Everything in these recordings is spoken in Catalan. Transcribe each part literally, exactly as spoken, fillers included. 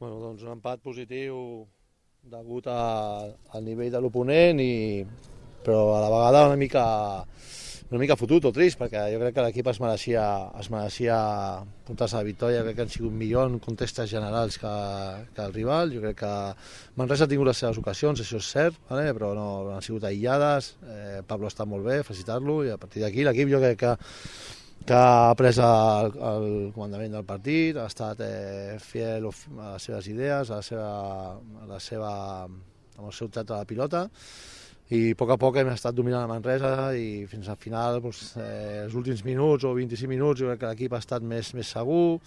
Bueno, doncs un empat positiu degut a, al nivell de l'oponent, i, però a la vegada una mica, una mica fotut o trist, perquè jo crec que l'equip es mereixia, es mereixia portar-se la victòria. Crec que han sigut millor en contextes generals que, que el rival. Jo crec que Manresa ha tingut les seves ocasions, això és cert, vale? Però no, no han sigut aïllades. eh, Pablo està molt bé, felicitar-lo, i a partir d'aquí l'equip jo crec que que ha pres el, el comandament del partit, ha estat eh, fiel a les seves idees, a la seva, a la seva, amb el seu tracte de la pilota, i a poc a poc hem estat dominant la Manresa, i fins al final, doncs, eh, els últims minuts o vint-i-cinc minuts, jo crec que l'equip ha estat més, més segur.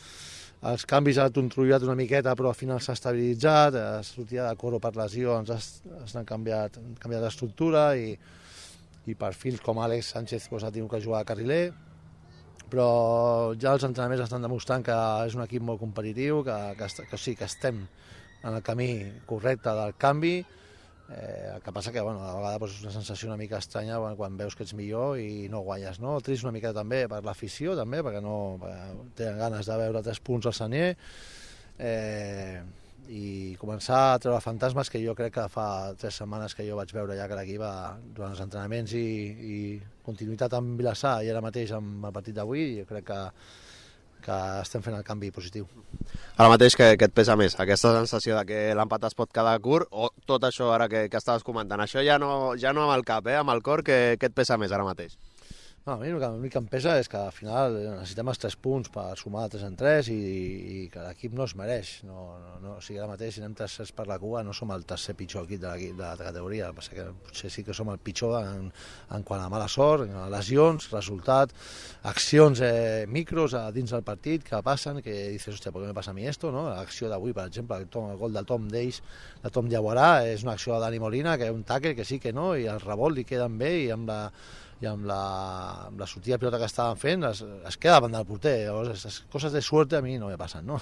Els canvis han controlat una miqueta, però al final s'ha estabilitzat. La sortida de Coro per lesió ens ha, ens han canviat, han canviat l'estructura, i, i perfils com Àlex Sánchez doncs, ha tingut que jugar a carriler. Però ja els entrenaments estan demostrant que és un equip molt competitiu, que, que, que sí, que estem en el camí correcte del canvi. Eh, el que passa que bueno, a vegades doncs, és una sensació una mica estranya quan, quan veus que ets millor i no guanyes, no? Trist una mica també per l'afició, també, perquè no perquè tenen ganes de veure tres punts al Sanier. Eh, i començar a treure fantasmes que jo crec que fa tres setmanes que jo vaig veure ja que l'equip durant els entrenaments, i, i continuïtat amb Vilassar i ara mateix amb el partit d'avui. Jo crec que, que estem fent el canvi positiu. Ara mateix, què, què et pesa més? Aquesta sensació de que l'empat es pot quedar curt, o tot això ara que, que estaves comentant? Això ja no, ja no amb el cap, eh? Amb el cor, què, què et pesa més ara mateix? No, a mi l'únic que em pesa és que al final necessitem els tres punts per sumar de tres en tres, i, i que l'equip no es mereix. No, no, no, o sigui, ara mateix, si anem tercers per la cua, no som el tercer pitjor equip de, de la categoria. El que potser sí que som el pitjor en, en quant a mala sort, lesions, resultat, accions eh, micros a dins del partit que passen, que dices, hòstia, ¿por qué me pasa a mi esto? No? L'acció d'avui, per exemple, el, tom, el gol del Tom d'ells, de Tom Diaguarà, és una acció de Dani Molina, que és un tackle que sí que no, i el rebot li queden bé, i amb la i amb la, amb la sortida de pilota que estaven fent es, es queda davant del porter. Llavors, les coses de suerte a mi no me passen, no?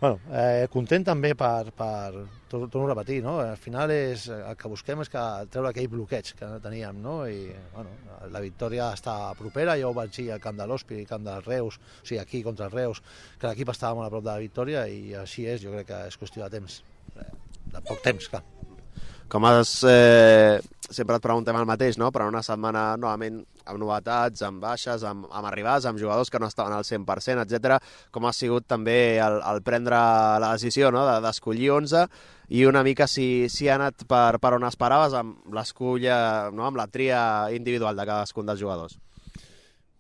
Bueno, eh, content també per, per torno a repetir, no? Al final és, el que busquem és que treure aquell bloqueig que teníem, no? I bueno, la victòria està propera. Jo ho vaig dir al camp de l'Hospi, al camp dels Reus, o sigui, aquí contra els Reus, que l'equip estava molt a prop de la victòria, i així és. Jo crec que és qüestió de temps, de poc temps, clar. Com has... Eh, sempre et preguntem el mateix, no? Però una setmana novament amb novetats, amb baixes, amb, amb arribades, amb jugadors que no estaven al cent per cent, etcètera. Com ha sigut també el, el prendre la decisió, no? De, d'escollir onze, i una mica si, si ha anat per, per on esperaves amb l'escolla, no? Amb la tria individual de cadascun dels jugadors?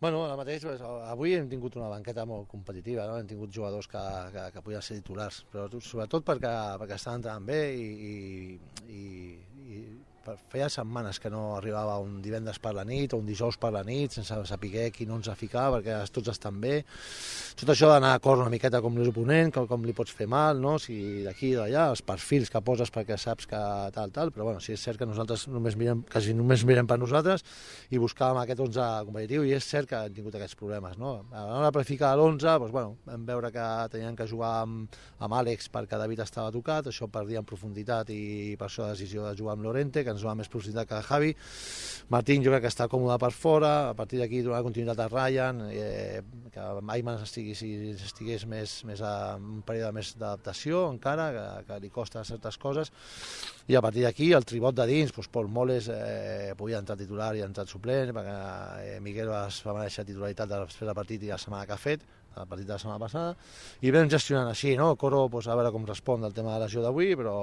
Bueno, ara mateix, pues, avui hem tingut una banqueta molt competitiva, no? Hem tingut jugadors que, que, que podien ser titulars, però sobretot perquè, perquè estaven entrant bé, i, i, i, i feia setmanes que no arribava un divendres per la nit o un dijous per la nit sense saber qui no ens ha ficat, perquè tots estan bé. Tot això d'anar a cor una miqueta com l'oponent, com, com li pots fer mal, no? Si d'aquí i d'allà, els perfils que poses perquè saps que tal, tal, però bueno, sí, és cert que nosaltres només mirem, quasi només mirem per nosaltres, i buscàvem aquest onze competitiu, i és cert que hem tingut aquests problemes, no? A l'hora de planificar l'onze, doncs, bueno, vam veure que tenien que jugar amb, amb Àlex perquè David estava tocat, això perdia en profunditat, i per això la decisió de jugar amb Lorente, que ens va més profunditat que Javi. Martín jo crec que està còmode per fora, a partir d'aquí donar continuïtat a Ryan, eh, que Ayman estigués, estigués més, més a un període més d'adaptació encara, que, que li costa certes coses, i a partir d'aquí el tribot de dins, doncs Pol Moles eh, podia entrar titular i ha entrat suplent, perquè eh, Miguel va, va mereixer titularitat després del partit i la setmana que ha fet, el partit de la setmana passada, i vam gestionant així, no? Coro, pues, a veure com respon del tema de la lesió d'avui, però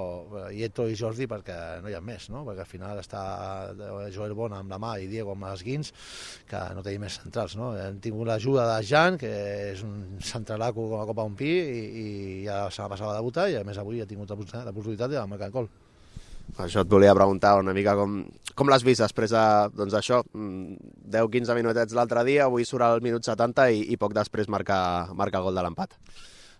i Eto i Jordi perquè no hi ha més, no? Perquè al final està Joel Bona amb la mà i Diego amb les guins, que no tenim més centrals, no? Hem tingut l'ajuda de Jan, que és un centralaco com a copa un pi, i, i ja la setmana passada va debutar, i a més avui ha tingut l'oportunitat de marcar el gol. Això et volia preguntar una mica com, com l'has vist després de, doncs això, deu quinze minutets l'altre dia, avui surt al minut setanta i, i poc després marca, marca el gol de l'empat.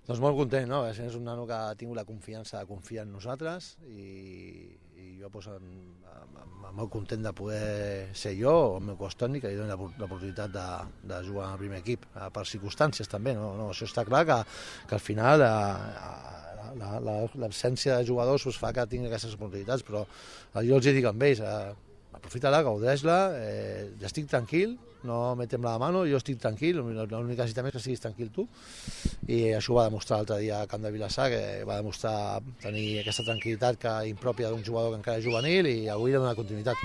Doncs molt content, no? És un nano que ha tingut la confiança de confiar en nosaltres, i, i jo pues, en, en, molt content de poder ser jo o el meu cos tècnic que li doni l'oportunitat de, de jugar al primer equip, per circumstàncies també, no? No, això està clar que, que al final eh, l'absència de jugadors pues, fa que tingui aquestes oportunitats, però jo els dic amb ells, eh, aprofita-la, gaudeix-la, eh, ja estic tranquil, no me tembla la mano, jo estic tranquil, l'únic que necessitem és que estiguis tranquil tu, i això ho va demostrar l'altre dia a Camp de Vilassar, que va demostrar tenir aquesta tranquil·litat que impròpia d'un jugador que encara és juvenil, i avui li dona continuïtat.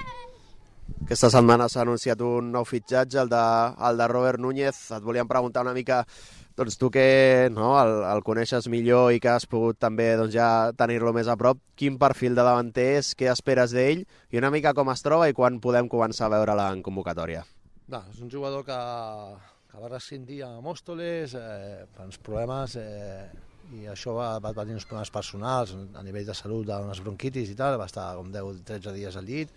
Aquesta setmana s'ha anunciat un nou fitxatge, el de, el de Robert Núñez. Et volíem preguntar una mica, doncs tu que no, el, el coneixes millor i que has pogut també doncs, ja tenir-lo més a prop, quin perfil de davanter és, què esperes d'ell i una mica com es troba i quan podem començar a veure-la en convocatòria? No, és un jugador que, que va rescindir a Mòstoles eh, per uns problemes eh, i això va, va tenir uns problemes personals a nivell de salut, d'unes bronquitis i tal, va estar com deu o tretze dies al llit,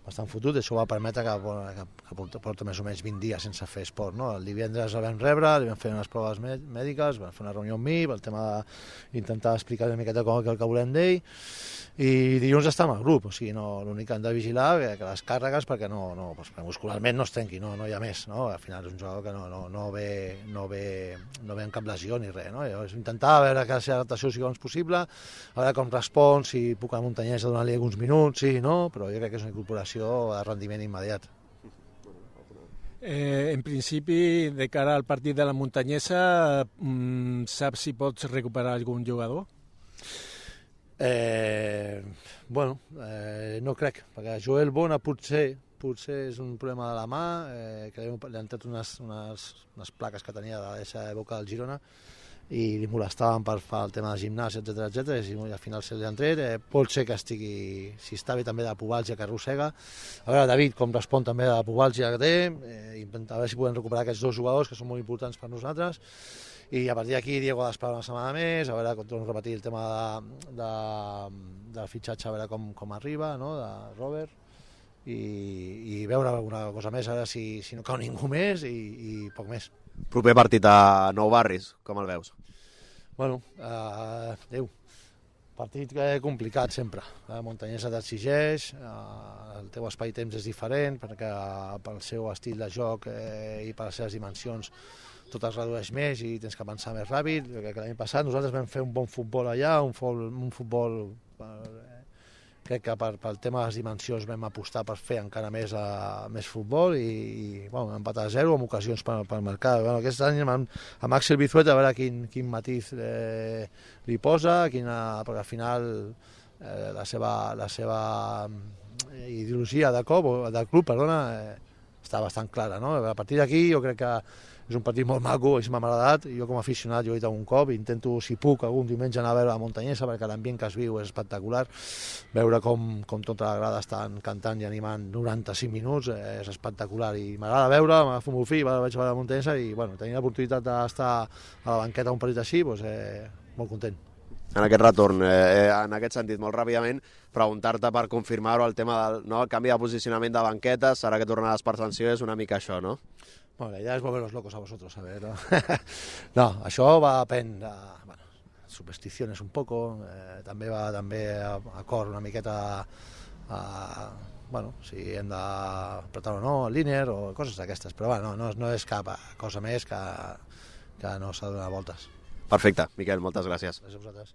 bastant fotut, això va permetre que, que, que porta, porta més o menys vint dies sense fer esport. No? El divendres el vam rebre, li vam fer unes proves mèdiques, vam fer una reunió amb mi, el tema d'intentar explicar una miqueta com el que volem d'ell, i dilluns està amb el grup, o sigui, no, l'únic que hem de vigilar que, que les càrregues, perquè no, no, perquè muscularment no es trenqui, no, no hi ha més, no? Al final és un jugador que no, no, no, ve, no, ve, no ve amb cap lesió ni res, no? És intentar veure que la seva adaptació sigui abans possible, a veure com respon, si puc a Muntanyesa donar-li alguns minuts, sí, no, però jo crec que és una incorporació de rendiment immediat. Eh, en principi, de cara al partit de la Muntanyesa, mm, saps si pots recuperar algun jugador? Eh, bueno, eh, no crec, perquè Joel Bona potser, potser és un problema de la mà, eh, que li han tret unes, unes, unes plaques que tenia de l'eixa època del Girona i li molestaven per fer el tema de gimnàs, etcètera, etcètera, i al final se li han tret. Eh, pot ser que estigui, si està bé també de la pubalgia que arrossega. A veure, David, com respon també de la pubalgia que té, eh, intentar veure si podem recuperar aquests dos jugadors que són molt importants per nosaltres. I a partir d'aquí Diego ha d'esperar una setmana més, a veure, com torno a repetir el tema de, de, del fitxatge, a veure com, com arriba, no?, de Robert, i, i veure alguna cosa més, a veure si, si no cau ningú més, i, i poc més. Proper partit a Nou Barris, com el veus? Bueno, eh, Déu, partit complicat sempre. La Muntanyesa t'exigeix, eh, el teu espai-temps és diferent, perquè pel seu estil de joc eh, i per les seves dimensions tot es redueix més i tens que pensar més ràpid. Que l'any passat nosaltres vam fer un bon futbol allà, un futbol, un futbol eh, crec que per, pel tema de les dimensions vam apostar per fer encara més, a, més futbol i, i bueno, empatar a zero amb ocasions per, per marcar. Bueno, aquest any amb, amb Axel Bizueta a veure quin, quin matiz eh, li posa, quina, perquè al final eh, la seva, la seva ideologia de club, de club perdona, eh, està bastant clara, no? A partir d'aquí jo crec que és un partit molt maco, és m'ha agradat, jo com a aficionat, jo he dit un cop, intento, si puc, algun diumenge anar a veure la Muntanyesa, perquè l'ambient que es viu és espectacular, veure com, com tota la grada estan cantant i animant noranta-cinc minuts, eh, és espectacular, i m'agrada veure, m'agafo el meu fill, vaig a veure la Muntanyesa, i bueno, tenir l'oportunitat d'estar a la banqueta un partit així, doncs, eh, molt content. En aquest retorn, eh, en aquest sentit, molt ràpidament, preguntar-te per confirmar-ho el tema del no, el canvi de posicionament de banquetes, ara que tornaràs per sanció, és una mica això, no? Bueno, la idea es volver los locos a vosotros, a ver, ¿no? No, això va depèn de, bueno, supersticiones un poco, eh, també va també a, a cor una miqueta a, bueno, si hem d'apretar o no el líner o coses d'aquestes, però bueno, no, no és cap cosa més que, que no s'ha de donar voltes. Perfecte, Miquel, moltes gràcies. Gràcies a vosaltres.